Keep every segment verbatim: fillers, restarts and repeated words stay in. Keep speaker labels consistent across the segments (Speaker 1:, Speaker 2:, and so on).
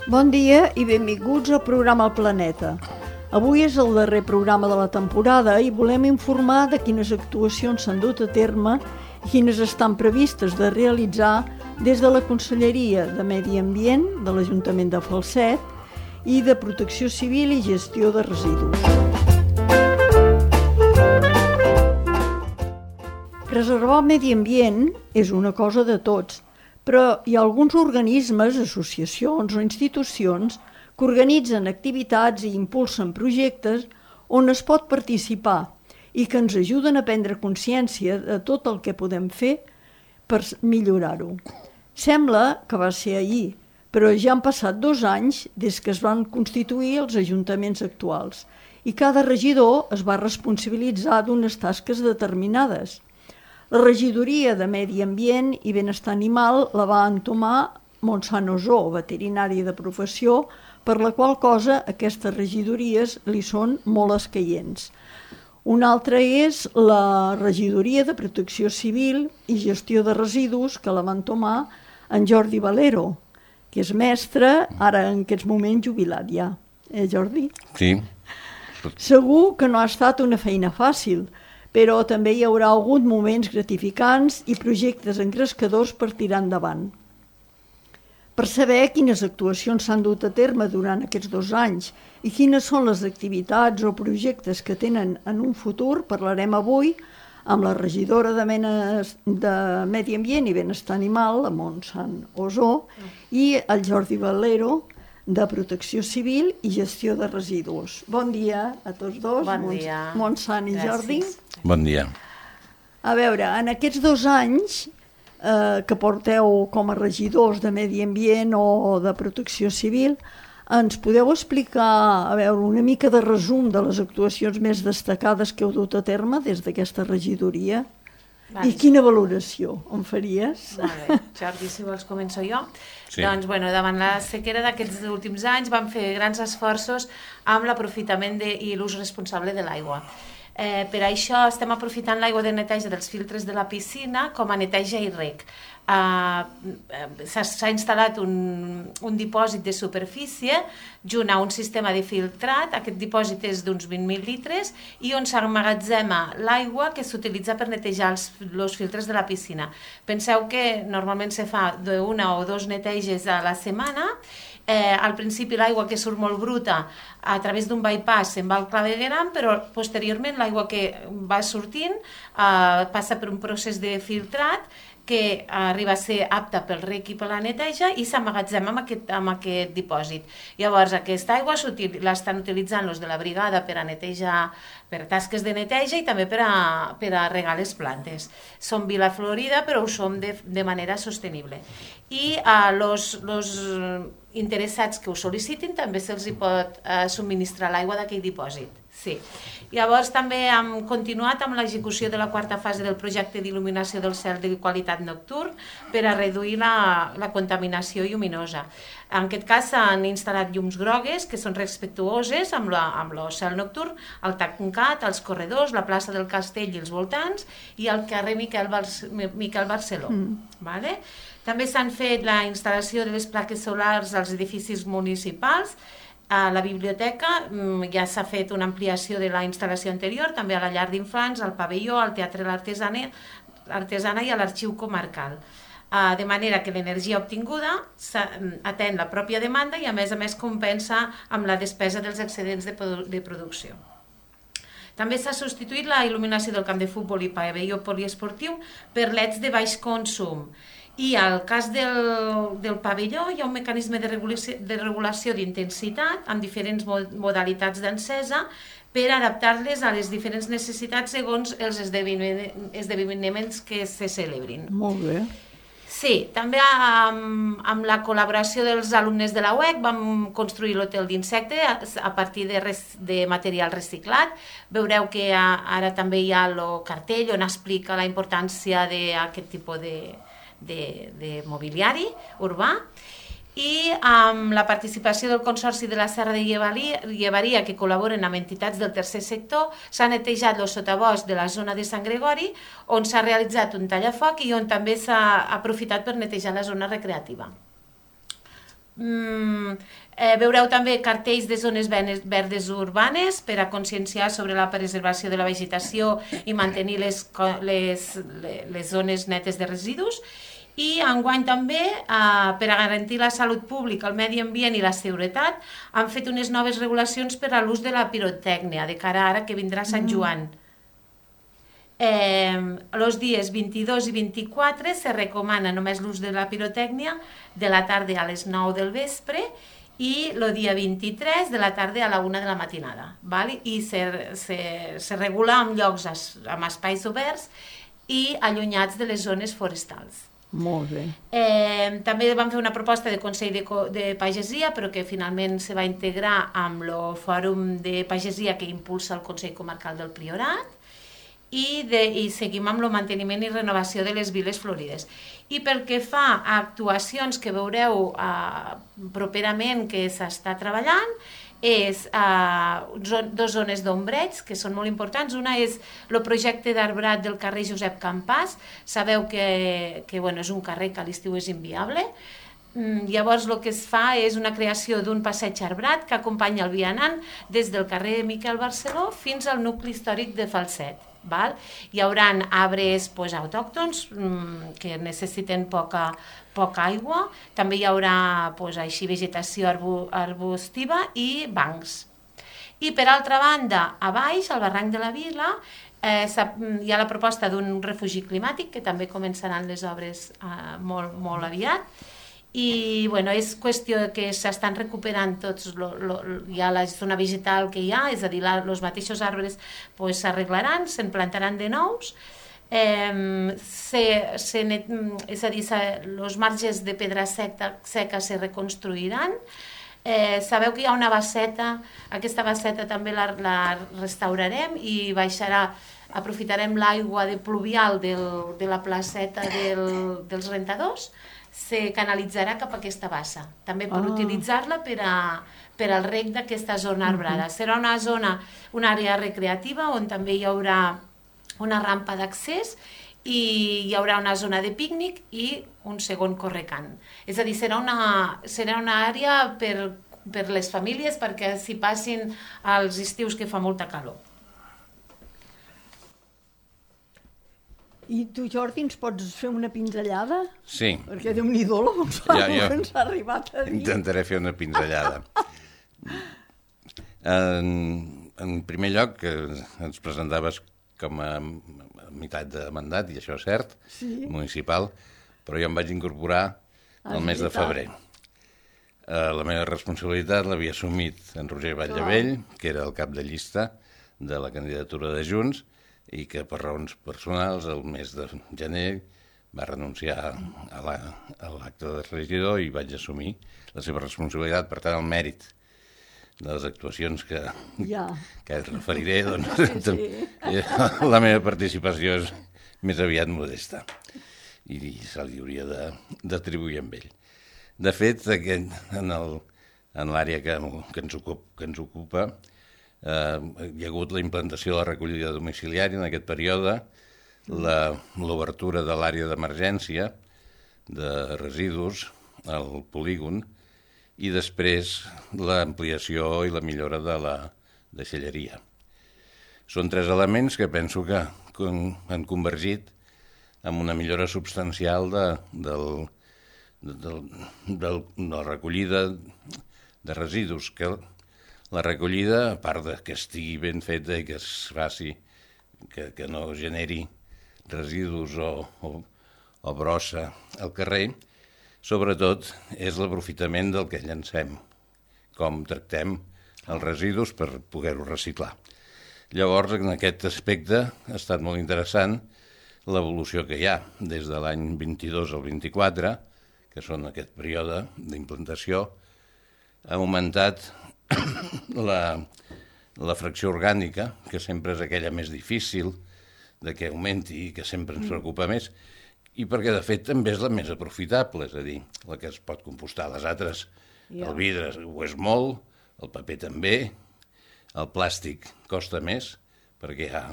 Speaker 1: Bon dia i benvinguts al programa El Planeta. Avui és el darrer programa de la temporada i volem informar de quines actuacions s'han dut a terme i quines estan previstes de realitzar des de la Conselleria de Medi Ambient de l'Ajuntament de Falset i de Protecció Civil i Gestió de Residus. Preservar el medi ambient és una cosa de tots, però hi ha alguns organismes, associacions o institucions que organitzen activitats i impulsen projectes on es pot participar i que ens ajuden a prendre consciència de tot el que podem fer per millorar-ho. Sembla que va ser ahir, però ja han passat dos anys des que es van constituir els ajuntaments actuals i cada regidor es va responsabilitzar d'unes tasques determinades. La regidoria de Medi Ambient i Benestar Animal la va entomar Montsant Osó, veterinari de professió, per la qual cosa aquestes regidories li són molt escaients. Una altra és la regidoria de Protecció Civil i Gestió de Residus, que la va entomar en Jordi Valero, que és mestre, ara en aquests moments jubilat ja. Eh, Jordi?
Speaker 2: Sí.
Speaker 1: Segur que no ha estat una feina fàcil, però també hi haurà hagut moments gratificants i projectes engrescadors per tirar endavant. Per saber quines actuacions s'han dut a terme durant aquests dos anys i quines són les activitats o projectes que tenen en un futur, parlarem avui amb la regidora de, Menes, de Medi Ambient i Benestar Animal, la Montsant Osó, i el Jordi Valero, de Protecció Civil i Gestió de Residus. Bon dia a tots dos,
Speaker 3: bon dia.
Speaker 1: Montsant i Jordi.
Speaker 2: Bon dia.
Speaker 1: A veure, en aquests dos anys eh, que porteu com a regidors de Medi Ambient o de Protecció Civil, ens podeu explicar, a veure, una mica de resum de les actuacions més destacades que heu dut a terme des d'aquesta regidoria? Vale. I quina valoració em faries?
Speaker 3: Vale. Jordi, si vols començo jo. Sí. Doncs, bueno, davant la sequera d'aquests últims anys vam fer grans esforços amb l'aprofitament de, i l'ús responsable de l'aigua. Eh, per això estem aprofitant l'aigua de neteja dels filtres de la piscina com a neteja i rec. Uh, s'ha instal·lat un, un dipòsit de superfície junt a un sistema de filtrat. Aquest dipòsit és d'uns vint mil litres i on s'emmagatzema l'aigua que s'utilitza per netejar els, els filtres de la piscina. Penseu que normalment se fa d'una o dos neteges a la setmana. Eh, al principi l'aigua que surt molt bruta a través d'un bypass se'n va al clavegueram, però posteriorment l'aigua que va sortint eh, passa per un procés de filtrat que arriba a ser apta pel rec i per la neteja i s'emmagatzema amb aquest, amb aquest dipòsit. Llavors, aquesta aigua l'estan utilitzant els de la brigada per a netejar, per tasques de neteja i també per a, per a regar les plantes. Som Vila Florida, però ho som de, de manera sostenible. I els uh, interessats que ho sol·licitin també se'ls pot uh, subministrar l'aigua d'aquell dipòsit. Sí. Llavors també hem continuat amb l'execució de la quarta fase del projecte d'il·luminació del cel de qualitat nocturn per a reduir la, la contaminació lluminosa. En aquest cas s'han instal·lat llums grogues que són respectuoses amb, la, amb el cel nocturn, el tancat, els corredors, la plaça del Castell i els voltants i el carrer Miquel, Barce, Miquel Barceló. Mm. Vale? També s'han fet la instal·lació de les plaques solars als edificis municipals. A la biblioteca ja s'ha fet una ampliació de la instal·lació anterior, també a la llar d'infants, al pavelló, al Teatre L'Artesana i a l'arxiu comarcal. De manera que l'energia obtinguda atén la pròpia demanda i a més a més compensa amb la despesa dels excedents de, produ de producció. També s'ha substituït la il·luminació del camp de futbol i pavelló poliesportiu per leds de baix consum. I al cas del, del pavelló hi ha un mecanisme de regulació, de regulació d'intensitat amb diferents modalitats d'encesa per adaptar-les a les diferents necessitats segons els esdeveniments que se celebrin.
Speaker 1: Molt bé.
Speaker 3: Sí, també amb, amb la col·laboració dels alumnes de la U E C vam construir l'hotel d'insecte a, a partir de, res, de material reciclat. Veureu que a, ara també hi ha el cartell on explica la importància d'aquest tipus de De, de mobiliari urbà i amb la participació del Consorci de la Serra de Llevaria que col·laboren amb entitats del tercer sector s'ha netejat el sotabosc de la zona de Sant Gregori on s'ha realitzat un tallafoc i on també s'ha aprofitat per netejar la zona recreativa. Mm, eh, veureu també cartells de zones verdes urbanes per a conscienciar sobre la preservació de la vegetació i mantenir les, les, les zones netes de residus. I enguany també, eh, per a garantir la salut pública, el medi ambient i la seguretat, han fet unes noves regulacions per a l'ús de la pirotècnia, de cara ara que vindrà Sant Joan. Eh, els dies vint-i-dos i vint-i-quatre se recomana només l'ús de la pirotècnia de la tarda a les nou del vespre i el dia vint-i-tres de la tarda a la una de la matinada. Val? I se, se, se regula en llocs, amb espais oberts i allunyats de les zones forestals.
Speaker 1: Molt bé.
Speaker 3: Eh, també vam fer una proposta de Consell de, de Pagesia, però que finalment se va integrar amb el Fòrum de Pagesia que impulsa el Consell Comarcal del Priorat. I, de, i seguim amb el manteniment i renovació de les viles florides. I pel que fa a actuacions que veureu eh, properament que s'està treballant, és eh, dues zones d'ombreig que són molt importants. Una és el projecte d'arbrat del carrer Josep Campàs. Sabeu que, que bueno, és un carrer que a l'estiu és inviable. Llavors el que es fa és una creació d'un passeig arbrat que acompanya el vianant des del carrer Miquel Barceló fins al nucli històric de Falset. Val? Hi haurà arbres pues, autòctons mmm, que necessiten poca, poca aigua, també hi haurà pues, així, vegetació arbu, arbustiva i bancs. I per altra banda, a baix, al barranc de la Vila, eh, hi ha la proposta d'un refugi climàtic, que també començaran les obres eh, molt, molt aviat. I bueno, és qüestió que s'estan recuperant tots, lo, lo, hi ha la zona vegetal que hi ha, és a dir, els mateixos arbres s'arreglaran, pues, se'n plantaran de nous, eh, se, se net, és a dir, els marges de pedra seca, seca se reconstruiran. Eh, sabeu que hi ha una basseta, aquesta basseta també la, la restaurarem i baixarà, aprofitarem l'aigua de pluvial del, de la placeta del, dels rentadors, se canalitzarà cap a aquesta bassa, també per ah. utilitzar-la per, a, per al reg d'aquesta zona arbrada. Uh -huh. Serà una zona, una àrea recreativa on també hi haurà una rampa d'accés i hi haurà una zona de pícnic i un segon correcant. És a dir, serà una, serà una àrea per, per les famílies perquè s'hi passin els estius que fa molta calor.
Speaker 1: I tu, Jordi, ens pots fer una pinzellada?
Speaker 2: Sí.
Speaker 1: Perquè Déu-n'hi-do la Gonçalo ja, ens ha arribat a dir.
Speaker 2: Intentaré fer una pinzellada. en, en primer lloc, que ens presentaves com a, a meitat de mandat, i això és cert, sí. municipal, però jo em vaig incorporar el mes de febrer. Uh, la meva responsabilitat l'havia assumit en Roger Batllevell, que era el cap de llista de la candidatura de Junts, i que per raons personals el mes de gener va renunciar a l'acte de regidor i vaig assumir la seva responsabilitat. Per tant, el mèrit de les actuacions que, ja. que et referiré, doncs, sí, sí. la meva participació és més aviat modesta i se li hauria d'atribuir amb ell. De fet, aquest, en l'àrea que, que, ens ocupa, que ens ocupa Uh, hi ha hagut la implantació de la recollida domiciliària en aquest període, l'obertura de l'àrea d'emergència de residus al polígon i després l'ampliació i la millora de la deixalleria. Són tres elements que penso que han convergit en una millora substancial de, del, de, de, de la recollida de residus, que la recollida, a part de que estigui ben feta i que es faci, que, que no generi residus o, o, o brossa al carrer, sobretot és l'aprofitament del que llancem, com tractem els residus per poder-ho reciclar. Llavors, en aquest aspecte ha estat molt interessant l'evolució que hi ha des de l'any vint-i-dos al vint-i-quatre, que són aquest període d'implantació, ha augmentat La, la fracció orgànica, que sempre és aquella més difícil de que augmenti i que sempre ens preocupa més, i perquè de fet també és la més aprofitable, és a dir, la que es pot compostar. Les altres, el vidre ho és molt, el paper també, el plàstic costa més, perquè hi ha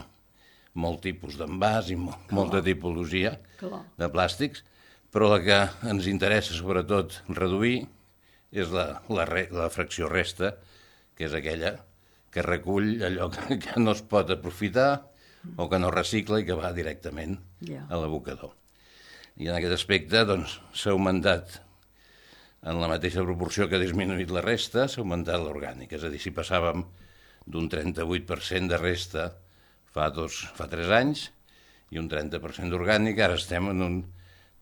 Speaker 2: molt tipus d'envàs i molt, molta tipologia Clar. de plàstics, però la que ens interessa sobretot reduir és la, la, re, la fracció resta, que és aquella que recull allò que, que no es pot aprofitar o que no recicla i que va directament yeah. a l'abocador. I en aquest aspecte doncs, s'ha augmentat, en la mateixa proporció que ha disminuït la resta, s'ha augmentat l'orgànica. És a dir, si passàvem d'un trenta-vuit per cent de resta fa, dos, fa tres anys i un trenta per cent d'orgànica, ara estem en un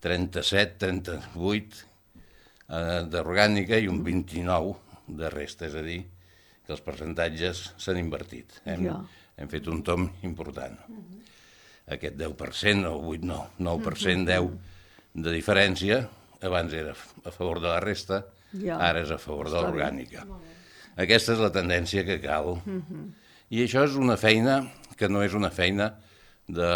Speaker 2: trenta-set trenta-vuit eh, d'orgànica i un vint-i-nou de resta, és a dir, que els percentatges s'han invertit. Hem, ja. hem fet un tom important. Uh-huh. Aquest deu per cent o vuit, no, nou per cent, deu de diferència, abans era a favor de la resta, ja. ara és a favor de l'orgànica. Aquesta és la tendència que cal. Uh-huh. I això és una feina que no és una feina de,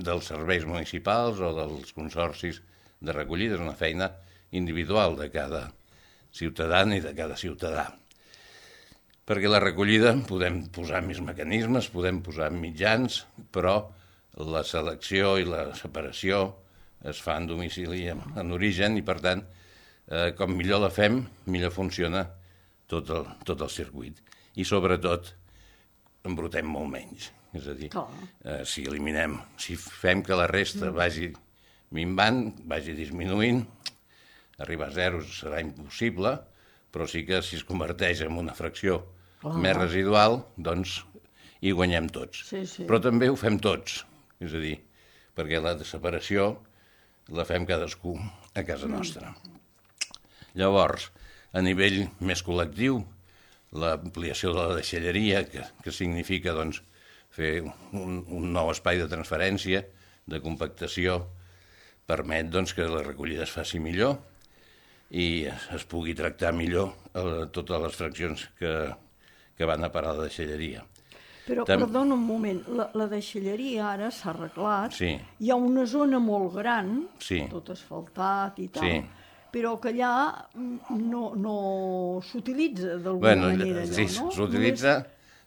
Speaker 2: dels serveis municipals o dels consorcis de recollida, és una feina individual de cada ciutadà i de cada ciutadà. Perquè la recollida podem posar més mecanismes, podem posar mitjans, però la selecció i la separació es fa en domicili, en origen, i per tant, eh, com millor la fem, millor funciona tot el, tot el circuit. I sobretot, embrutem molt menys. És a dir, eh, si eliminem, si fem que la resta vagi minvant, vagi disminuint, arribar a zero serà impossible, però sí que si es converteix en una fracció oh. més residual, doncs hi guanyem tots. Sí, sí. Però també ho fem tots, és a dir, perquè la separació la fem cadascú a casa nostra. Llavors, a nivell més col·lectiu, l'ampliació de la deixalleria, que, que significa doncs, fer un, un nou espai de transferència, de compactació, permet doncs, que la recollida es faci millor i es, es pugui tractar millor eh, totes les fraccions que, que van a parar a la deixalleria.
Speaker 1: Però, Tam... perdona un moment, la, la deixalleria ara s'ha arreglat, sí. Hi ha una zona molt gran, sí. tot asfaltat i tal, sí. però que allà no, no s'utilitza d'alguna bueno, manera allò,
Speaker 2: sí, no? S'utilitza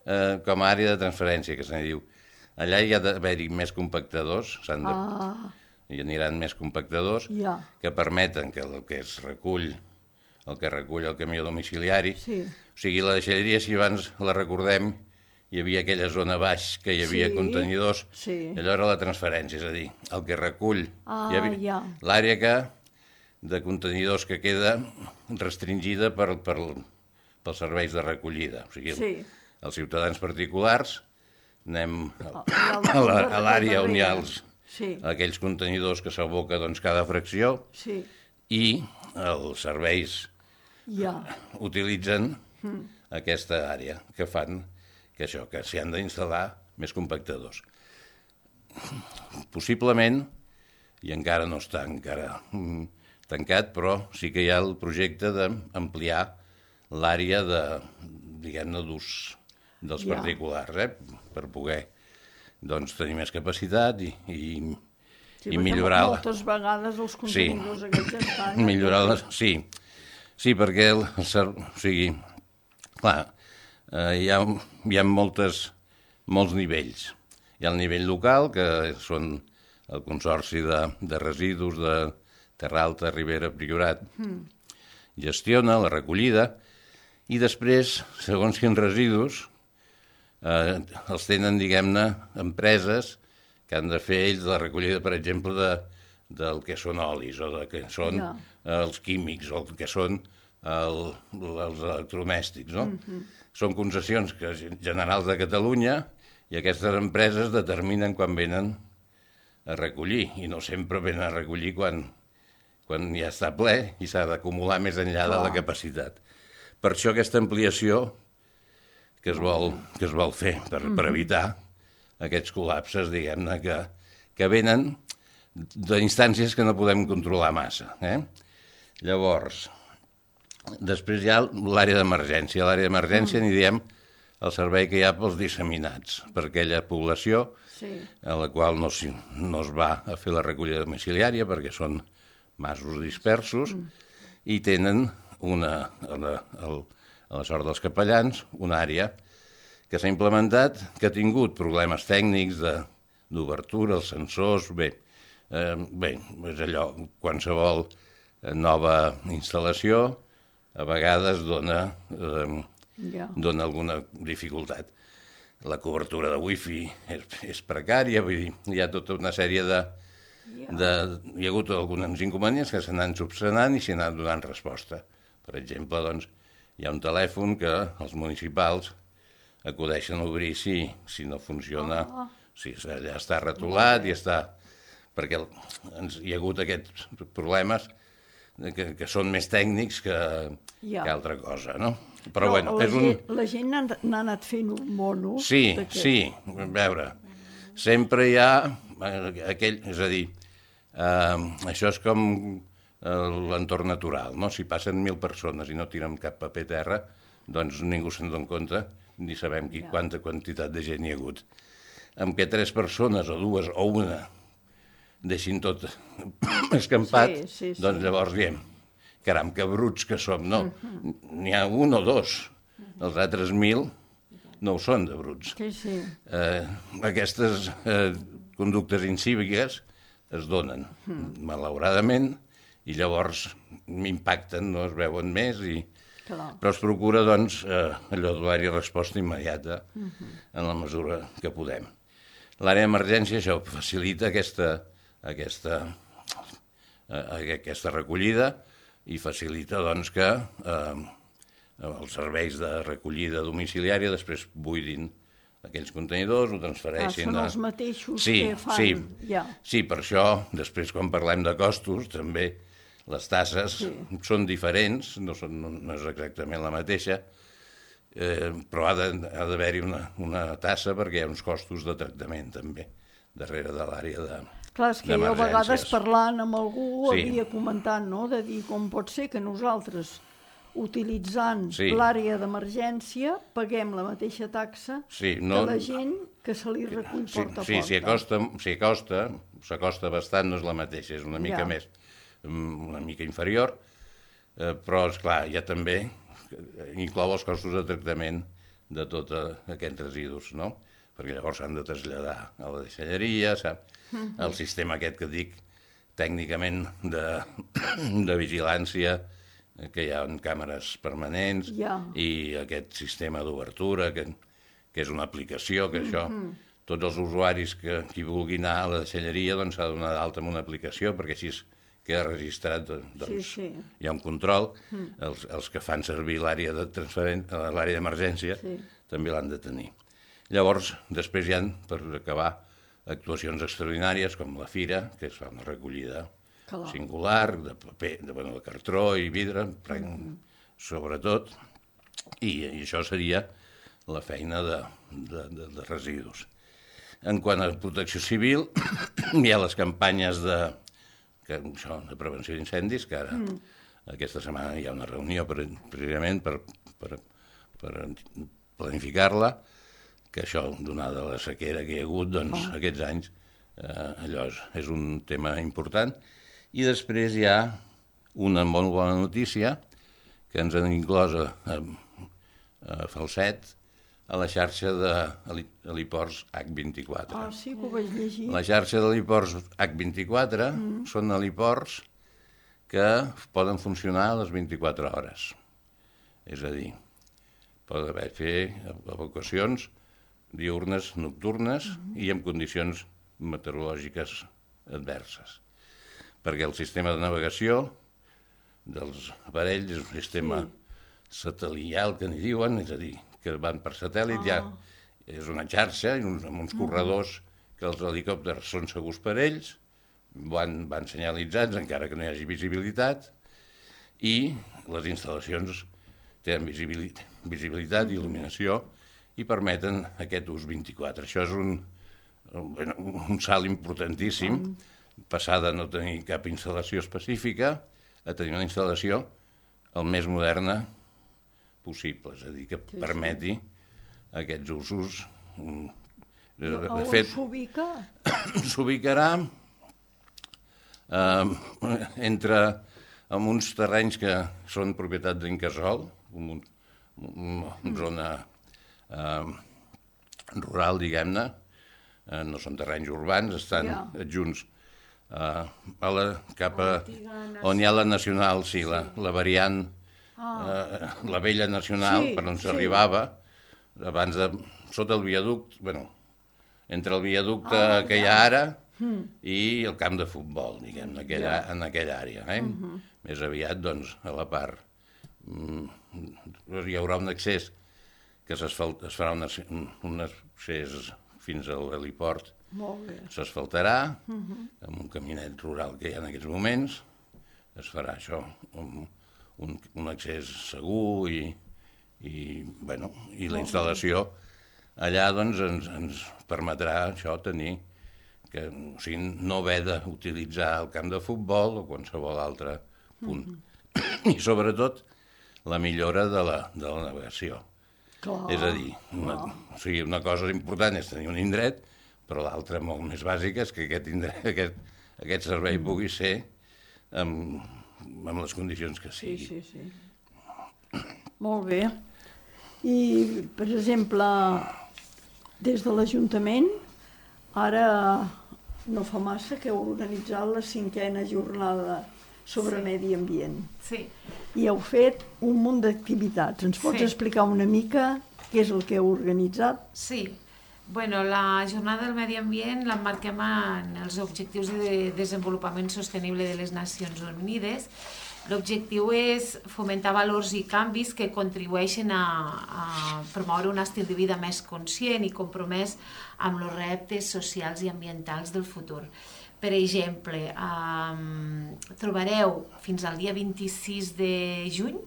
Speaker 2: eh, com a àrea de transferència, que se'n diu. Allà hi ha d'haver-hi més compactadors, s'han de... Ah. hi aniran més compactadors, ja. que permeten que el que es recull, el que recull el camió domiciliari, sí. o sigui, la deixalleria, si abans la recordem, hi havia aquella zona baix que hi havia sí, contenidors, sí. allò era la transferència, és a dir, el que recull ah, ja. l'àrea que, de contenidors que queda restringida per, per, pels serveis de recollida. O sigui, sí. els ciutadans particulars anem a, a l'àrea on hi ha els, sí. aquells contenidors que s'aboca doncs, cada fracció sí. i els serveis ja. utilitzen mm. aquesta àrea que fan que això, que s'hi han d'instal·lar més compactadors. Possiblement, i encara no està encara tancat, però sí que hi ha el projecte d'ampliar l'àrea de, diguem-ne, d'ús dels ja. particulars, eh? per poder doncs, tenir més capacitat i, i,
Speaker 1: sí,
Speaker 2: i millorar...
Speaker 1: Moltes vegades els contenidors sí. aquests estan...
Speaker 2: millorar les... Sí, sí, perquè el, el, o sigui, clar, Uh, hi ha, hi ha moltes, molts nivells. Hi ha el nivell local, que són el Consorci de, de Residus de Terra Alta, Ribera, Priorat, mm. gestiona la recollida, i després, segons quins residus, eh, els tenen, diguem-ne, empreses que han de fer ells la recollida, per exemple, de, del que són olis, o de que són yeah. els químics, o que són el, els electrodomèstics, no? Mm-hmm. Són concessions que, generals de Catalunya i aquestes empreses determinen quan venen a recollir i no sempre venen a recollir quan, quan ja està ple i s'ha d'acumular més enllà Clar. de la capacitat. Per això aquesta ampliació que es vol, que es vol fer per, mm-hmm. per evitar aquests col·lapses, diguem-ne, que, que venen d'instàncies que no podem controlar massa. Eh? Llavors... Després hi ha l'àrea d'emergència. A l'àrea d'emergència mm. n'hi diem el servei que hi ha pels disseminats, per aquella població sí. a la qual no, si, no es va a fer la recollida domiciliària perquè són masos dispersos mm. i tenen una, a la, a la sort dels capellans, una àrea que s'ha implementat, que ha tingut problemes tècnics d'obertura, els sensors, bé, eh, bé, és allò, qualsevol nova instal·lació a vegades dona, eh,
Speaker 1: Ja.
Speaker 2: dona alguna dificultat. La cobertura de wifi és, és precària, vull dir, hi ha tota una sèrie de... de hi ha hagut alguns inconvenients que s'han anat subsanant i s'hi han anat donant resposta. Per exemple, doncs, hi ha un telèfon que els municipals acudeixen a obrir si, si no funciona, oh. si ja està retolat i està... perquè ens, hi ha hagut aquests problemes que, que són més tècnics que, ja. que altra cosa, no? Però, Però bueno,
Speaker 1: la,
Speaker 2: és un...
Speaker 1: gent, la gent n'ha anat fent un mono.
Speaker 2: Sí, sí, a veure, sempre hi ha aquell... És a dir, eh, això és com l'entorn natural, no? Si passen mil persones i no tiren cap paper a terra, doncs ningú se'n dona compte ni sabem qui, quanta quantitat de gent hi ha hagut. Amb que tres persones o dues o una deixin tot escampat, sí, sí, sí. doncs llavors diem, caram, que bruts que som, no? Uh-huh. N'hi ha un o dos, els altres mil no ho són de bruts.
Speaker 1: Sí, sí.
Speaker 2: Eh, aquestes eh, conductes incíviques es donen, uh-huh. malauradament, i llavors m'impacten, no es veuen més, i... però es procura, doncs, eh, allò de donar-hi resposta immediata uh-huh. en la mesura que podem. L'àrea d'emergència, això, facilita aquesta, aquesta, eh, aquesta recollida i facilita, doncs, que eh, els serveis de recollida domiciliària després buidin aquells contenidors, ho transfereixin...
Speaker 1: Ah, són
Speaker 2: a...
Speaker 1: els mateixos
Speaker 2: sí,
Speaker 1: que fan...
Speaker 2: Sí,
Speaker 1: ja.
Speaker 2: sí, per això, després, quan parlem de costos, també les tasses sí. són diferents, no, són, no és exactament la mateixa, eh, però ha d'haver-hi una, una tassa perquè hi ha uns costos de tractament, també, darrere de l'àrea de...
Speaker 1: Clar, és que jo a vegades parlant amb algú sí. havia comentat, no?, de dir com pot ser que nosaltres, utilitzant sí. l'àrea d'emergència, paguem la mateixa taxa sí, no... que la gent que se li recull
Speaker 2: sí,
Speaker 1: porta a
Speaker 2: sí,
Speaker 1: porta.
Speaker 2: Sí, s'acosta, s'acosta, s'acosta bastant, no és la mateixa, és una mica ja. més, una mica inferior, eh, però, esclar, ja també inclou els costos de tractament de tots aquests residus, no?, perquè llavors s'han de traslladar a la deixalleria, sap? Mm-hmm. El sistema aquest que dic tècnicament de, de vigilància, que hi ha càmeres permanents,
Speaker 1: yeah.
Speaker 2: i aquest sistema d'obertura, que, que és una aplicació, que això, mm-hmm. tots els usuaris que qui vulgui anar a la deixalleria doncs s'ha de donar d'alta amb una aplicació, perquè així queda registrat, doncs
Speaker 1: sí, sí.
Speaker 2: hi ha un control, mm. els, els que fan servir l'àrea de transferen... l'àrea d'emergència sí. també l'han de tenir. Llavors, després hi ha, per acabar, actuacions extraordinàries com la fira, que es fa una recollida Clar. singular, de paper, de, bueno, de cartró i vidre, mm-hmm. sobretot, i, i això seria la feina de, de, de, de residus. En quant a protecció civil, hi ha les campanyes de, que, això, de prevenció d'incendis, que ara, mm. aquesta setmana hi ha una reunió per, precisament per, per, per planificar-la, que això, donada la sequera que hi ha hagut, doncs, oh. aquests anys, eh, allò és, és un tema important. I després hi ha una molt bona notícia que ens han inclòs a, a, a Falset, a la xarxa de heliports hac vint-i-quatre.
Speaker 1: Ah, sí, que ho vaig llegir.
Speaker 2: La xarxa d'heliports hac vint-i-quatre mm. són heliports que poden funcionar a les vint-i-quatre hores. És a dir, pot haver fer evacuacions diürnes, nocturnes mm-hmm. i en condicions meteorològiques adverses. Perquè el sistema de navegació dels aparells és un sistema sí. satelital, que n'hi diuen, és a dir, que van per satèl·lit, ah. ja és una xarxa amb uns, amb uns mm-hmm. corredors que els helicòpters són segurs per ells, van, van senyalitzats encara que no hi hagi visibilitat, i les instal·lacions tenen visibilitat, visibilitat mm-hmm. i il·luminació, i permeten aquest ús vint-i-quatre. Això és un, un, un salt importantíssim, passar de no tenir cap instal·lació específica a tenir una instal·lació el més moderna possible, és a dir, que sí, permeti sí. aquests usos.
Speaker 1: De, de fet, s'ubica?
Speaker 2: S'ubicarà eh, entre en uns terrenys que són propietat d'Incasòl, una un, un zona Uh, rural, diguem-ne, uh, no són terrenys urbans, estan yeah. adjunts uh, a la, cap a on hi ha la nacional, sí, la, la variant ah. eh, la vella nacional, sí, per on s'arribava, sí. abans de... sota el viaducte, bueno, entre el viaducte ah, que hi ha ara mm. i el camp de futbol, diguem, en aquella, yeah. en aquella àrea. Eh? Mm-hmm. Més aviat, doncs, a la part. Mm, hi haurà un accés que es farà un, un accés fins a l'heliport. S'asfaltarà, mm-hmm. amb un caminet rural que hi ha en aquests moments, es farà això, un, un, un accés segur i, i, bueno, i la instal·lació allà doncs, ens, ens permetrà això tenir, que, o sigui, no haver d'utilitzar el camp de futbol o qualsevol altre punt. Mm-hmm. I sobretot la millora de la, de la navegació. Clar. És a dir, una, o sigui, una cosa important és tenir un indret, però l'altra molt més bàsica és que aquest, indret, aquest, aquest servei pugui ser amb, amb les condicions que sigui.
Speaker 1: Sí, sí, sí. Molt bé. I, per exemple, des de l'Ajuntament, ara no fa massa que heu organitzat la cinquena jornada sobre sí. medi ambient.
Speaker 3: Sí.
Speaker 1: I heu fet un munt d'activitats. Ens pots sí. explicar una mica què és el que heu organitzat?
Speaker 3: Sí. Bueno, la jornada del medi ambient l'emmarquem en els objectius de desenvolupament sostenible de les Nacions Unides. L'objectiu és fomentar valors i canvis que contribueixen a, a promoure un estil de vida més conscient i compromès amb els reptes socials i ambientals del futur. Per exemple, eh, trobareu fins al dia vint-i-sis de juny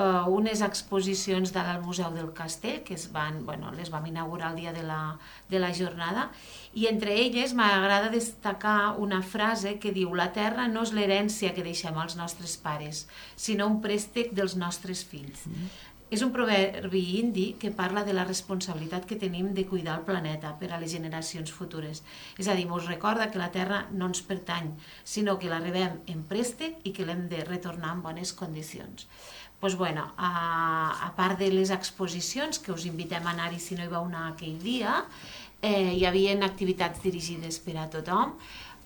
Speaker 3: Uh, unes exposicions al Museu del Castell, que es van, bueno, les vam inaugurar el dia de la, de la jornada, i entre elles m'agrada destacar una frase que diu: la terra no és l'herència que deixem als nostres pares, sinó un préstec dels nostres fills. Mm. És un proverbi indi que parla de la responsabilitat que tenim de cuidar el planeta per a les generacions futures. És a dir, ens recorda que la terra no ens pertany, sinó que la rebem en préstec i que l'hem de retornar en bones condicions. Pues bueno, a, a part de les exposicions, que us invitem a anar-hi si no hi vau anar aquell dia, eh, hi havia activitats dirigides per a tothom.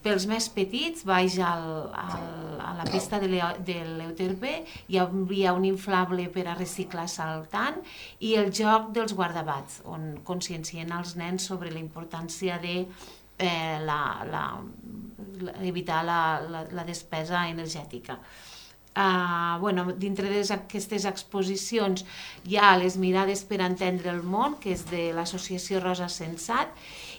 Speaker 3: Pels més petits, baix al, al, a la pista de l'Euterpe, hi havia un inflable per a reciclar saltant i el joc dels guardabats, on consciencien els nens sobre la importància de eh, la, la, la, evitar la, la, la despesa energètica. Uh, bueno, dintre d'aquestes exposicions hi ha les mirades per entendre el món, que és de l'associació Rosa Sensat,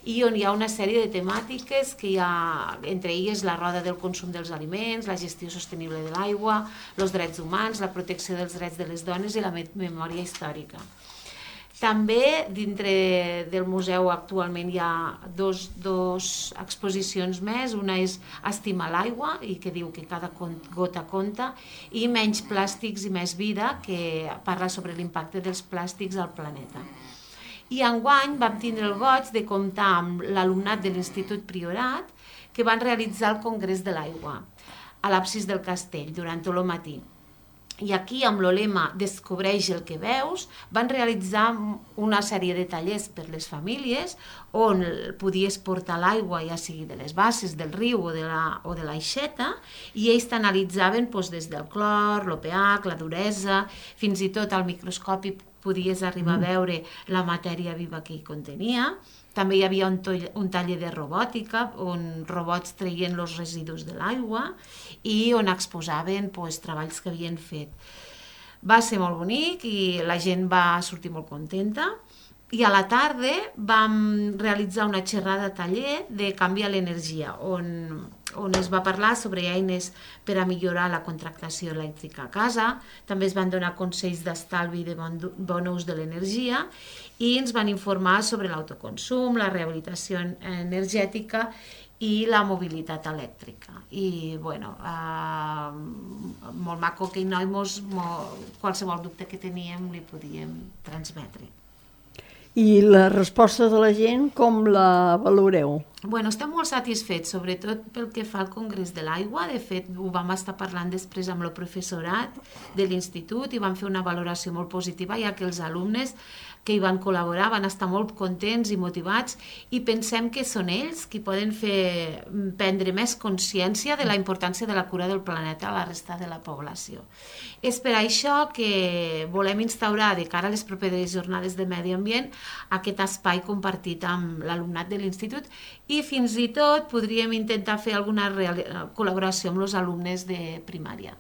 Speaker 3: i on hi ha una sèrie de temàtiques que hi ha, entre elles la roda del consum dels aliments, la gestió sostenible de l'aigua, els drets humans, la protecció dels drets de les dones i la memòria històrica. També dintre del museu actualment hi ha dos, dos exposicions més. Una és Estimar l'aigua, i que diu que cada gota compta, i Menys plàstics i més vida, que parla sobre l'impacte dels plàstics al planeta. I enguany vam tindre el goig de comptar amb l'alumnat de l'Institut Priorat, que van realitzar el Congrés de l'Aigua a l'absis del castell durant tot el matí. I aquí, amb el lema Descobreix el que veus, van realitzar una sèrie de tallers per les famílies on podies portar l'aigua, ja sigui de les basses, del riu o de la, o de l'aixeta, i ells t'analitzaven doncs, des del clor, l'O P H, la duresa, fins i tot al microscopi podies arribar a veure la matèria viva que hi contenia. També hi havia un, un taller de robòtica on robots treien els residus de l'aigua i on exposaven pues, treballs que havien fet. Va ser molt bonic i la gent va sortir molt contenta. I a la tarda vam realitzar una xerrada taller de canvi a l'energia, on, on es va parlar sobre eines per a millorar la contractació elèctrica a casa. També es van donar consells d'estalvi de bon, bon ús de l'energia i ens van informar sobre l'autoconsum, la rehabilitació energètica i la mobilitat elèctrica. I, bueno, eh, molt maco que noi mos, molt, qualsevol dubte que teníem li podíem transmetre.
Speaker 1: I la resposta de la gent, com la valoreu?
Speaker 3: Bueno, estem molt satisfets, sobretot pel que fa al Congrés de l'Aigua. De fet, ho vam estar parlant després amb el professorat de l'institut i vam fer una valoració molt positiva, ja que els alumnes que hi van col·laborar van estar molt contents i motivats i pensem que són ells qui poden fer prendre més consciència de la importància de la cura del planeta a la resta de la població. És per això que volem instaurar de cara a les properes jornades de medi ambient aquest espai compartit amb l'alumnat de l'institut i fins i tot podríem intentar fer alguna col·laboració amb els alumnes de primària.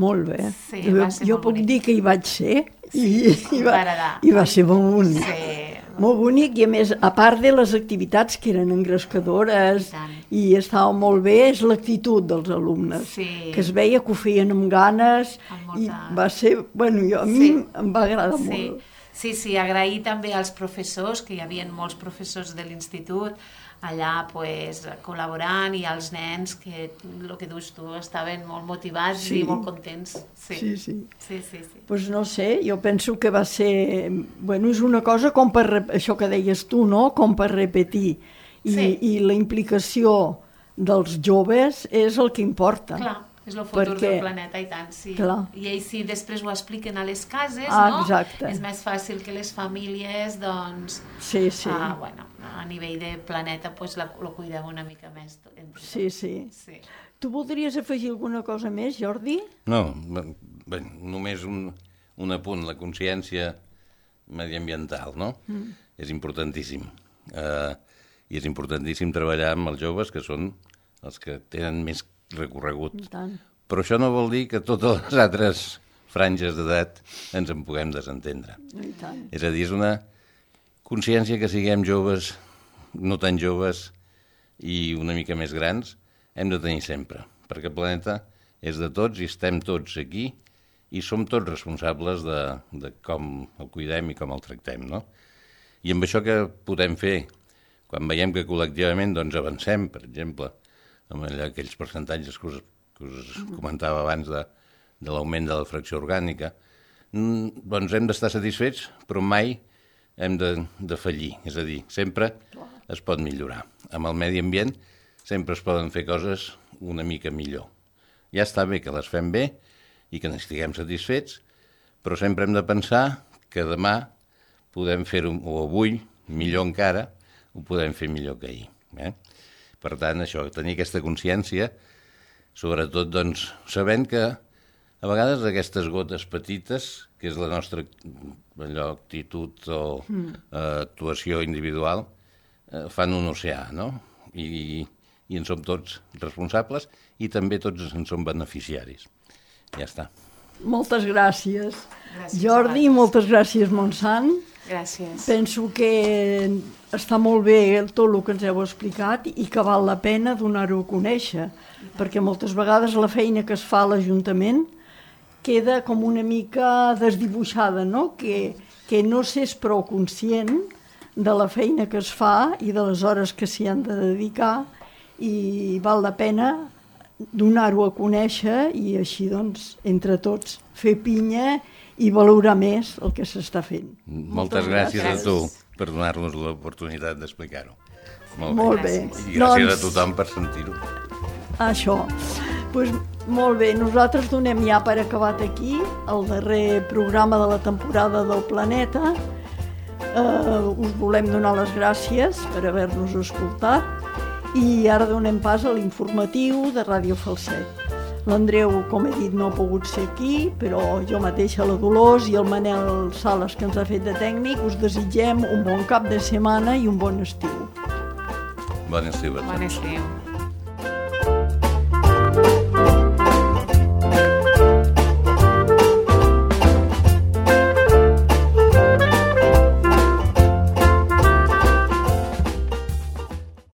Speaker 1: Molt bé.
Speaker 3: Sí,
Speaker 1: jo jo puc
Speaker 3: bonic.
Speaker 1: dir que hi vaig ser i,
Speaker 3: sí,
Speaker 1: i, va, i va ser molt bonic.
Speaker 3: Sí.
Speaker 1: Molt bonic i a més, a part de les activitats que eren engrescadores i, i estava molt bé, és l'actitud dels alumnes,
Speaker 3: sí.
Speaker 1: que es veia que ho feien amb ganes amb molta... i va ser, bueno, jo, a mi sí. em va agradar
Speaker 3: sí.
Speaker 1: molt.
Speaker 3: Sí, sí, agrair també als professors, que hi havia molts professors de l'institut, allà pues, col·laborant, i als nens que, el que dius tu, estaven molt motivats sí. i molt contents. Sí,
Speaker 1: sí. sí.
Speaker 3: sí, sí, sí.
Speaker 1: Pues no sé, jo penso que va ser... Bueno, és una cosa com per... Això que deies tu, no? Com per repetir. I, sí. i la implicació dels joves és el que importa.
Speaker 3: Clar. És el futur
Speaker 1: perquè,
Speaker 3: del planeta, i tant, sí.
Speaker 1: Clar.
Speaker 3: I ells si després ho expliquen a les cases,
Speaker 1: ah,
Speaker 3: no?
Speaker 1: Exacte.
Speaker 3: És més fàcil que les famílies, doncs,
Speaker 1: sí, sí.
Speaker 3: Ah, bueno, a nivell de planeta, pues, la, lo cuidem una mica més. Entre
Speaker 1: sí, sí, sí. Tu voldries afegir alguna cosa més, Jordi?
Speaker 2: No, bé, només un, un apunt, la consciència mediambiental, no? Mm. És importantíssim. Uh, I és importantíssim treballar amb els joves, que són els que tenen més recorregut. Però això no vol dir que totes les altres franges d'edat ens en puguem desentendre. És a dir, és una consciència que siguem joves, no tan joves i una mica més grans, hem de tenir sempre, perquè el planeta és de tots i estem tots aquí i som tots responsables de, de com el cuidem i com el tractem, no? I amb això que podem fer, quan veiem que col·lectivament doncs, avancem, per exemple, amb allà, aquells percentatges que us, que us comentava abans de, de l'augment de la fracció orgànica, doncs hem d'estar satisfets, però mai hem de, de fallir. És a dir, sempre es pot millorar. Amb el medi ambient sempre es poden fer coses una mica millor. Ja està bé que les fem bé i que n'estiguem satisfets, però sempre hem de pensar que demà podem fer-ho, o avui, millor encara, ho podem fer millor que ahir. Eh? Per tant, això, tenir aquesta consciència, sobretot, doncs, sabent que a vegades aquestes gotes petites, que és la nostra allò, actitud o mm. eh, actuació individual, eh, fan un oceà, no? I, i en som tots responsables i també tots en som beneficiaris. Ja està.
Speaker 1: Moltes gràcies,
Speaker 3: gràcies
Speaker 1: Jordi, i moltes gràcies, Montsant.
Speaker 3: Gràcies.
Speaker 1: Penso que està molt bé tot el que ens heu explicat i que val la pena donar-ho a conèixer, perquè moltes vegades la feina que es fa a l'Ajuntament queda com una mica desdibuixada, no? Que, que no s'és prou conscient de la feina que es fa i de les hores que s'hi han de dedicar i val la pena donar-ho a conèixer i així, doncs, entre tots, fer pinya i valorar més el que s'està fent.
Speaker 2: Moltes, Moltes gràcies, gràcies a tu per donar-nos l'oportunitat d'explicar-ho.
Speaker 1: Molt, molt bé.
Speaker 2: bé. I gràcies doncs, a tothom per sentir-ho.
Speaker 1: Això. Pues, molt bé, nosaltres donem ja per acabat aquí el darrer programa de la temporada del Planeta. Uh, us volem donar les gràcies per haver-nos escoltat i ara donem pas a l'informatiu de Ràdio Falset. L'Andreu, com he dit, no ha pogut ser aquí, però jo mateixa, la Dolors i el Manel Sales, que ens ha fet de tècnic, us desitgem un bon cap de setmana i un bon estiu.
Speaker 2: Bon estiu a tots.
Speaker 3: Bon estiu.